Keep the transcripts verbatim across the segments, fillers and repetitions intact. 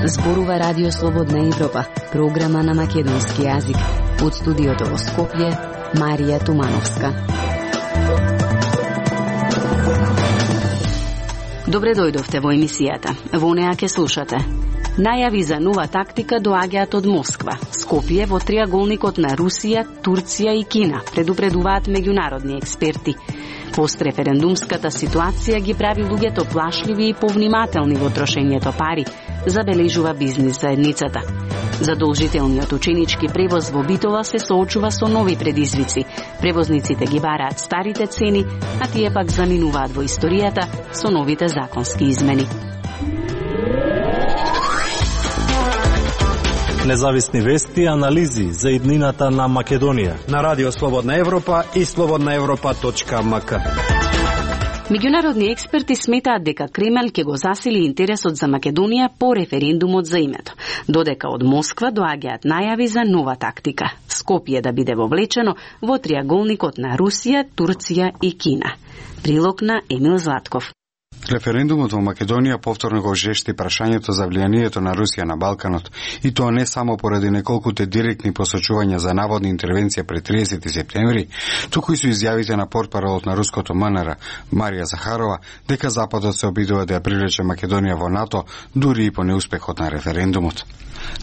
Зборува Радио Слободна Европа, програма на македонски јазик. Од студиото во Скопје, Марија Тумановска. Добре дојдовте во емисијата. Во неа ке слушате. Најави за нова тактика доаѓаат од Москва. Скопје во триаголникот на Русија, Турција и Кина, предупредуваат меѓународни експерти. Постреферендумската ситуација ги прави луѓето плашливи и повнимателни во трошењето пари, забележува бизнис заедницата. Задолжителниот ученички превоз во Битола се соочува со нови предизвици. Превозниците ги бараат старите цени, а тие пак заминуваат во историјата со новите законски измени. Независни вести и анализи за иднината на Македонија на Радио Слободна Европа и слободна европа точка ем ка. Меѓународни експерти сметаат дека Кремљ ќе го засили интересот за Македонија по референдумот за името, додека од Москва доаѓаат најави за нова тактика. Скопје да биде вовлечено во триаголникот на Русија, Турција и Кина. Прилог на Емил Златков. Референдумот во Македонија повторно го жешти прашањето за влијанието на Русија на Балканот, и тоа не само поради неколкуте директни посочувања за наводна интервенција пред триесети септември, туку и со изјавите на портпаролот на руското ем ен ер Марија Захарова дека Западот се обидува да ја привлече Македонија во НАТО, дури и по неуспехот на референдумот.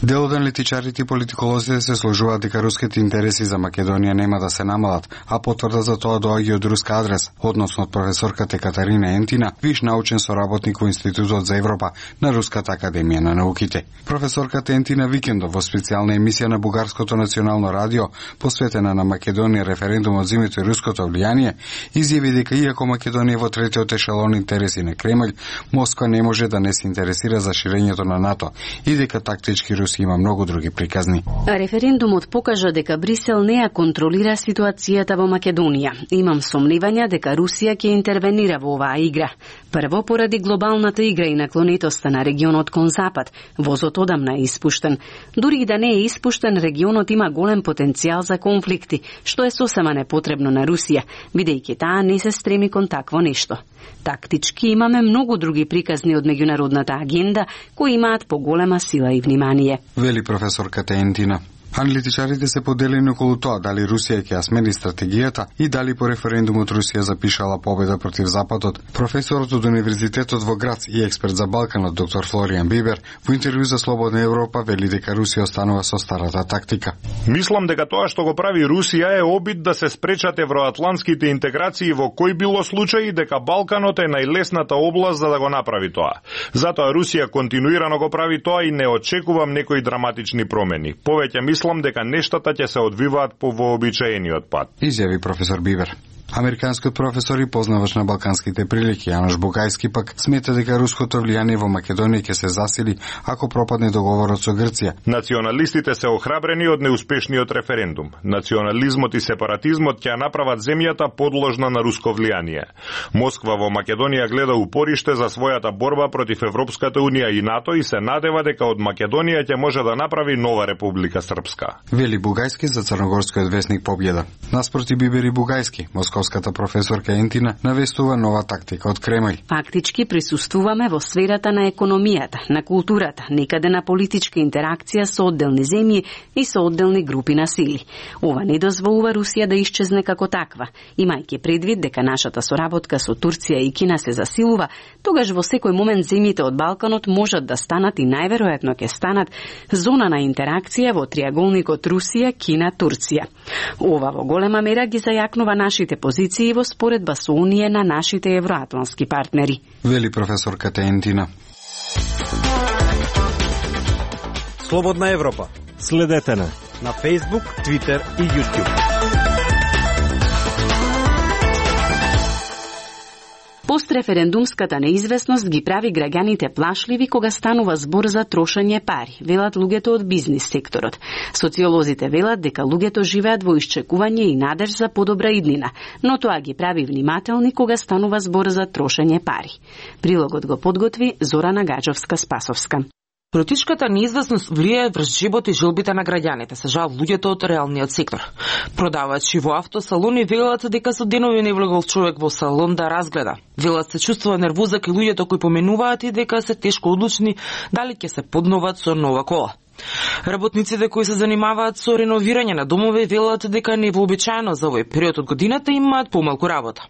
Дел од аналитичарите и политиколозите се сложуваат дека руските интереси за Македонија нема да се намалат, а потврда за тоа доаѓа од руска адрес, односно од професорката Катарина Ентина, виш научен соработник во Институтот за Европа на Руската академија на науките. Професорката Ентина викендов во специјална емисија на Бугарското национално радио, посветена на Македонија референдумот за името и руското влијание, изјави дека иако Македонија во третиот ешелон интереси на Кремљ, Москва не може да не се интересира за ширењето на НАТО и дека тактички Русија има многу други приказни. Референдумот покажа дека Брисел не ја контролира ситуацијата во Македонија. Имам сомневања дека Русија ќе интервенира во оваа игра. Прво, поради глобалната игра и наклонетоста на регионот кон Запад, возот одамна е испуштен. Дури и да не е испуштен, регионот има голем потенцијал за конфликти, што е сосема непотребно на Русија, бидејќи таа не се стреми кон такво нешто. Тактички имаме многу други приказни од меѓународната агенда кои имаат поголема сила и внимание, вели професорката Ентина. Аналитичарите се поделени околу тоа дали Русија ќе ја смени стратегијата и дали по референдумот Русија запишала победа против Западот. Професорот од Универзитетот во Грац и експерт за Балканот доктор Флоријан Бибер во интервју за Слободна Европа вели дека Русија останува со старата тактика. Мислам дека тоа што го прави Русија е обид да се спречат евроатлантските интеграции во кој било случај, дека Балканот е најлесната област за да го направи тоа. Затоа Русија континуирано го прави тоа и не очекувам некои драматични промени. Повеќе мислам дека нештата ќе се одвиваат по вообичаениот пат, изјави професор Бибер. Американскиот професор и познавач на балканските прилики Јанош Бугајски пак смета дека руското влијание во Македонија ќе се засили ако пропадне договорот со Грција. Националистите се охрабрени од неуспешниот референдум. Национализмот и сепаратизмот ќе направат земјата подложна на руско влијание. Москва во Македонија гледа упориште за својата борба против Европската унија и НАТО и се надева дека од Македонија ќе може да направи нова Република Српска, вели Бугајски за црногорскиот весник Победа. Наспроти Бибер и Бугајски, московската професорка Ентина навестува нова тактика од Кремљ. Фактички присуствуваме во сферата на економијата, на културата, некаде на политичка интеракција со одделни земји и со одделни групи на сили. Ова не дозволува Русија да исчезне како таква. Имајќи предвид дека нашата соработка со Турција и Кина се засилува, тогаш во секој момент земјите од Балканот можат да станат и најверојатно ќе станат зона на интеракција во триаголникот Русија, Кина, Турција. Ова во голема мера ги зајакнува нашите позиции во споредба со Унија на нашите евроатлантски партнери, вели професорката Ентина. Слободна Европа. Следете на на Facebook, Twitter и YouTube. Постреферендумската неизвестност ги прави граѓаните плашливи кога станува збор за трошење пари, велат луѓето од бизнис секторот. Социолозите велат дека луѓето живеат во исчекување и надеж за подобра иднина, но тоа ги прави внимателни кога станува збор за трошење пари. Прилогот го подготви Зорана Гаджовска-Спасовска. Политичката неизвестност влијае врз живот и желбите на граѓаните, се жал луѓето од реалниот сектор. Продавачи во автосалони велат дека со денови не влегол човек во салон да разгледа. Велат се чувствува нервоза кај луѓето кои поменуваат и дека се тешко одлучни дали ќе се подноват со нова кола. Работниците кои се занимаваат со реновирање на домови велат дека невообичаено за овој период од годината имаат помалку работа.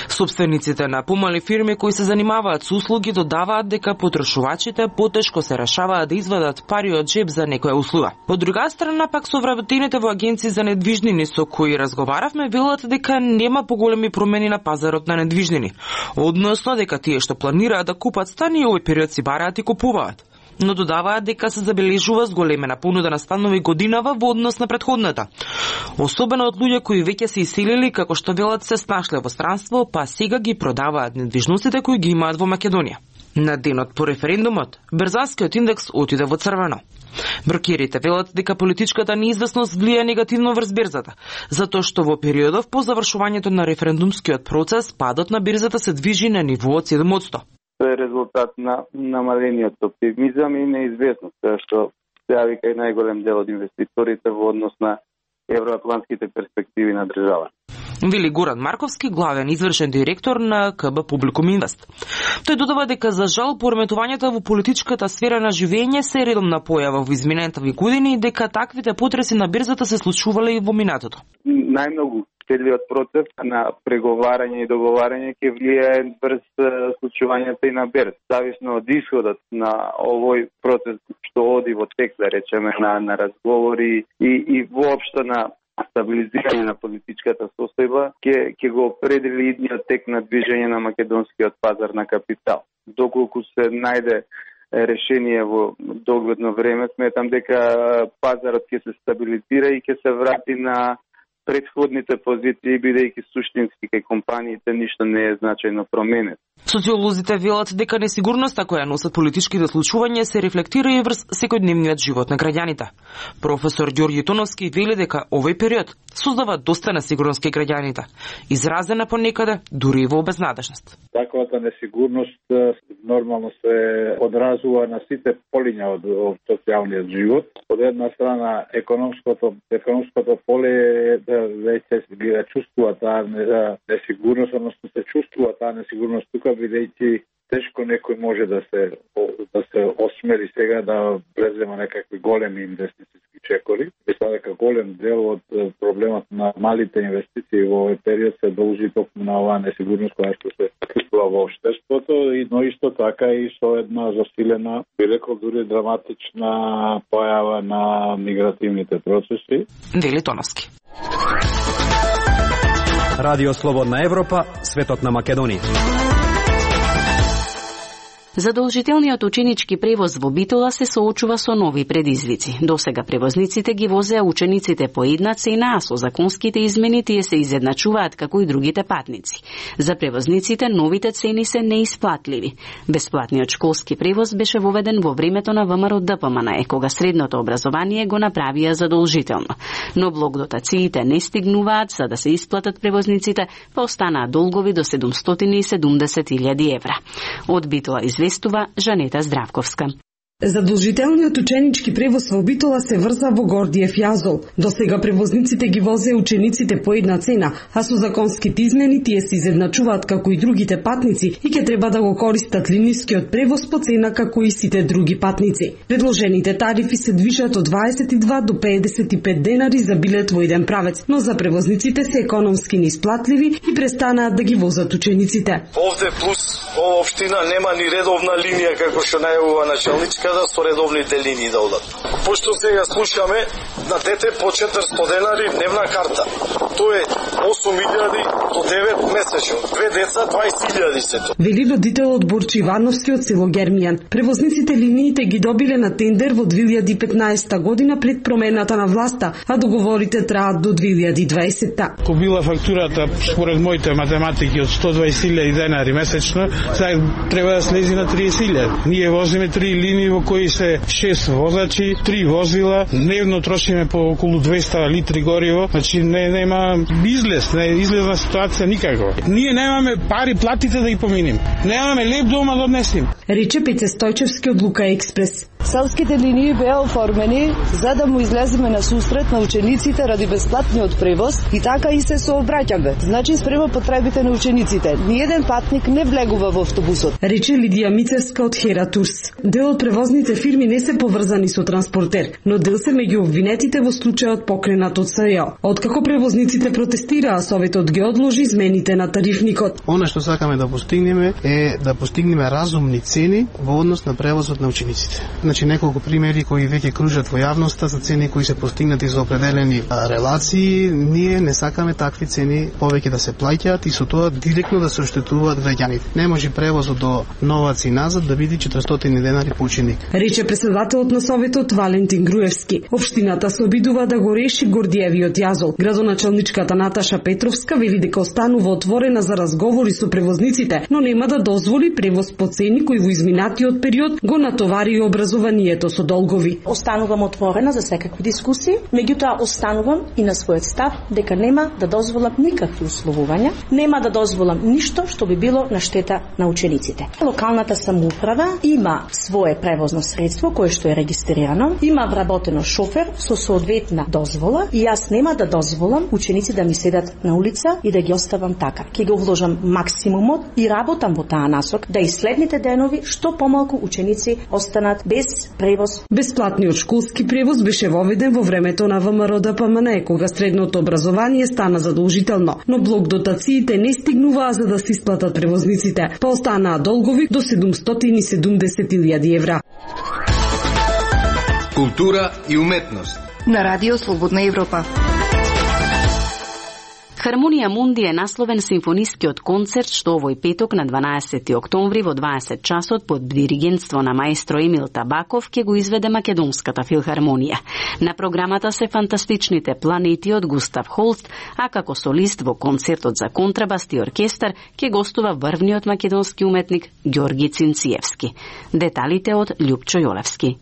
Собствениците на помали фирми кои се занимаваат со услуги додаваат дека потрошувачите потешко се решаваат да извадат пари од джеб за некоја услуга. Од друга страна пак совработените во агенции за недвижнини со кои разговаравме велат дека нема поголеми промени на пазарот на недвижнини, односно дека тие што планираат да купат стани овој период си бараат и купуваат. Но додаваат дека се забележува зголемена понуда на станови годинава во однос на претходната. Особено од луѓе кои веќе се иселили, како што велат се снашле во странство, па сега ги продаваат недвижностите кои ги имаат во Македонија. На денот по референдумот, Берзанскиот индекс отиде во црвено. Брокерите велат дека политичката неизвестност влија негативно врз берзата, затоа што во периодов по завршувањето на референдумскиот процес падот на берзата се движи на ниво од седум одсто. Тоа е резултат на намалениот оптимизам и неизвестност, што се јави кај најголем дел од инвеститорите во однос на евроатлантските перспективи на држава. Вели Горан Марковски, главен извршен директор на ка бэ Публикум Инвест. Тој додава дека за жал пореметувањата во политичката сфера на живење се редовна појава во изминатите години и дека таквите потреси на берзата се случувале и во минатото. Најмногу целиот процес на преговарање и договарање ќе влијае врз случувањата и на берз. Зависно од исходот на овој процес што оди во тек, да речеме, на, на разговори и, и воопшто на стабилизирање на политичката состојба, ќе ќе го определи идниот тек на движење на македонскиот пазар на капитал. Доколку се најде решение во догледно време, сметам дека пазарот ќе се стабилизира и ќе се врати на предходните позиции, бидејќи суштински кај компаниите ништо не е значајно променет. Социолозите велат дека несигурноста која носат политичките случувања се рефлектира и врз секојдневниот живот на граѓаните. Професор Ѓорѓи Тоновски вели дека овој период создава доста несигурност кај граѓаните, изразена понекаде дури и во безнадежност. Таквата несигурност нормално се одразува на сите полиња од, од социјалниот живот. Од една страна економското економското поле веќе се чувствува таа несигурност, односно се чувствува таа несигурност тука, бидејќи тешко некој може да се да се осмели сега да презема некакви големи инвестициски чекори. Мислам дека голем дел од проблемот на малите инвестиции во овој период се должи токму на оваа несигурност која што се чувствува во општеството, и но исто така и со една засилена, би рекол дури драматична појава на мигративните процеси. Вели Тоновски. Радио Слободна Европа, светот на Македонија. Задолжителниот ученички превоз во Битола се соочува со нови предизвици. Досега превозниците ги возеа учениците по една цена, а со законските измени тие се изедначуваат како и другите патници. За превозниците новите цени се неисплатливи. Бесплатниот школски превоз беше воведен во времето на ВМРО Д П М Н Е, кога средното образование го направија задолжително. Но блокдотациите не стигнуваат за да се исплатат превозниците, па останаа долгови до седумстотини и седумдесет илјади евра. Од Битола известува Жанета Здравковска. Задолжителниот ученички превоз во Битола се врза во Гордиев јазол. Досега превозниците ги возеа учениците по една цена, а со законските измени тие се изедначуваат како и другите патници и ќе треба да го користат линискиот превоз по цена како и сите други патници. Предложените тарифи се движат од дваесет и два до педесет и пет денари за билет во еден правец, но за превозниците се економски неисплатливи и престанаат да ги возат учениците. Овде плюс ова општина нема ни редовна линија како што најавува начелничка да со редовните линии да одат. Пошто сега слушаме на дете по четиристотини денари дневна карта. Тоа е осум илјади до девет месечно. Две деца дваесет илјади се тоа. Вели родител од Борчи Ивановски од село Гермијан. Превозниците линиите ги добиле на тендер во две илјади и петнаесета година пред промената на власта, а договорите траат до две илјади и дваесета. Ко била фактурата според моите математики од сто дваесет илјади денари месечно, сега треба да слези на триесет илјади. Ние возиме три линии во кои се шест возачи, три возила, дневно трошиме по околу двеста литри гориво, значи не нема излез, не излезна ситуација никако. Ние немаме пари платите да ги поминим. Немаме леп дома да однесем. Рече Пеце Стојчевски од Лука Експрес. Селските линии беа оформени за да му излеземе на сусрет на учениците ради бесплатниот превоз и така и се сообраќаме. Значи спрема потребите на учениците. Ниеден патник не влегува во автобусот. Рече Лидија Мицевска од Хера Турс. Дел од превозните фирми не се поврзани со транспортер, но дел се меѓу обвинетите во случајот покренат од СЈО. Откако превозниците протестираа, Советот ги одложи измените на тарифникот. Она што сакаме да постигнеме е да постигнеме разумни цени во однос на превозот на учениците. Значи неколку примери кои веќе кружат во јавноста за цени кои се постигнати за определени релации, ние не сакаме такви цени повеќе да се плаќаат и со тоа директно да се оштетуваат граѓаните. Не може превозот до Новац и назад да биде четиристотини денари по ученик. Рече председателот на Советот Валентин Груевски. Општината се обидува да го реши Гордиевиот јазол. Градоначалничката Наташа Петровска вели дека останува отворена за разговори со превозниците, но нема да дозволи превоз по цени кои во изминатиот период го натовари образованието со долгови. Останувам отворена за секакви дискусии, меѓутоа останувам и на својот став дека нема да дозволам никакви условувања, нема да дозволам ништо што би било на штета на учениците. Локалната самоуправа има свое превозно средство кое што е регистрирано, има вработено шофер со соодветна дозвола и јас нема да дозволам ученици да ми седат на улица и да ги оставам така. Ќе го вложам максимумот и работам во таа насок да и следните денови што помалку ученици останат без превоз. Бесплатниот школски превоз беше воведен во времето на ВМРО-ДПМН, кога средното образование стана задолжително, но блок дотациите не стигнуваа за да се исплатат превозниците, па останаа долгови до седумстотини и седумдесет илјади евра. Култура и уметност на Радио Слободна Европа. Хармонија Мунди е насловен симфонискиот концерт што овој петок на дванаесети октомври во дваесет часот под диригентство на маестро Емил Табаков ќе го изведе Македонската филхармонија. На програмата се фантастичните планети од Густав Холст, а како солист во концертот за контрабас и оркестар ќе гостува врвниот македонски уметник Ѓорги Цинциевски. Деталите од Љупчо Јолевски.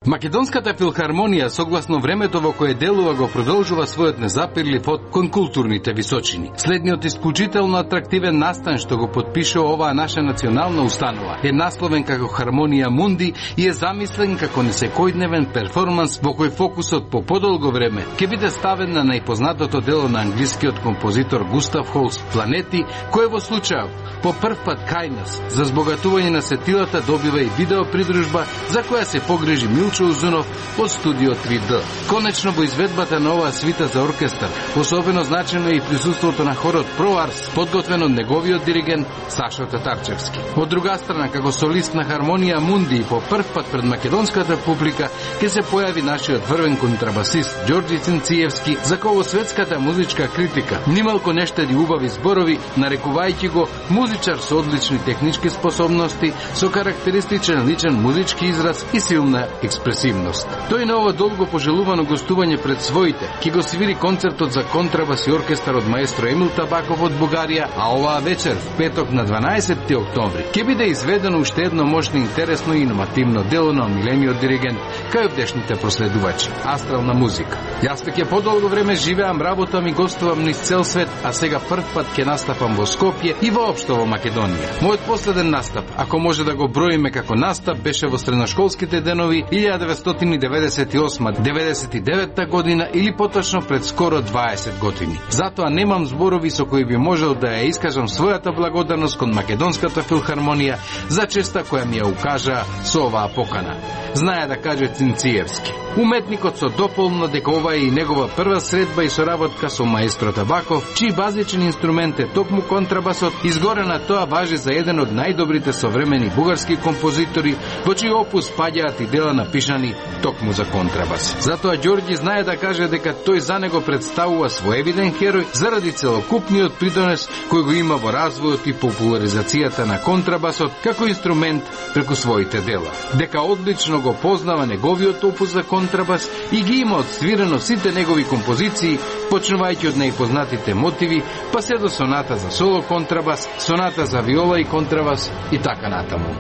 Македонската филхармонија, согласно времето во кое делува, го продолжува својот незапирлив од кон културните височини. Следниот исклучително атрактивен настан што го подпишува оваа наша национална установа е насловен како Хармонија Мунди и е замислен како несекојдневен перформанс во кој фокусот по подолго време ќе биде ставен на најпознатото дело на англискиот композитор Густав Холст Планети, кој во случајот по прв пат кај нас за збогатување на сетилата добива и видео придружба за која се погрижи Милчо Узунов од студио три Д. Конечно во изведбата на оваа свита за оркестар, особено значено е и присуството на хорот Про Арс, подготвен од неговиот диригент Сашо Татарчевски. Од друга страна, како солист на Хармонија Мунди и по прв пат пред македонската публика ќе се појави нашиот врвен контрабасист Ѓорги Цинциевски, за кој во светската музичка критика нималку не штеди убави зборови, нарекувајќи го музичар со одлични технички способности, со карактеристичен личен музички израз и силна експресивност. Тој на ова долго пожелувано гостување пред своите ќе го свири концертот за контрабас и оркестар од маестро Емил Табаков од Бугарија, а оваа вечер, в петок на дванаесети октомври, ќе биде изведено уште едно мощно, интересно и иновативно дело на омилениот диригент кај овдешните проследувачи. Астрална музика. Јас веќе подолго време живеам, работам и гостувам низ цел свет, а сега прв пат ќе настапам во Скопје и воопшто во Македонија. Мојот последен настап, ако може да го броиме како настап, беше во средношколските денови илјада деветстотини деветдесет и осма до деветдесет и девета година или поточно пред скоро дваесет години. Затоа немам зборови со кои би можел да ја искажам својата благодарност кон Македонската филхармонија за честа која ми ја укажа со оваа покана. Знае да каже Цинциевски. Уметникот со дополно дека ова е и негова прва средба и соработка со маестро Табаков, чиј базичен инструмент е токму контрабасот, изгоре на тоа важи за еден од најдобрите современи бугарски композитори, во чиј опус спаѓаат и дела напишани токму за контрабас. Затоа Ѓорги знае да каже дека тој за него представува своевиден херој заради целокупниот придонес кој го има во развојот и популаризацијата на контрабасот како инструмент преку своите дела. Дека одлично го познава неговиот опус за контрабас и ги има одсвирено сите негови композиции, почнувајќи од најпознатите мотиви, па се до соната за соло контрабас, соната за виола и контрабас и така натаму.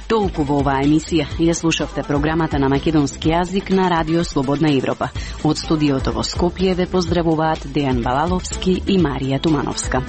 Толку во оваа емисија. Ја слушавте програмата на македонски јазик на Радио Слободна Европа. Од студиото во Скопје ве поздравуваат Дејан Балаловски и Марија Тумановска.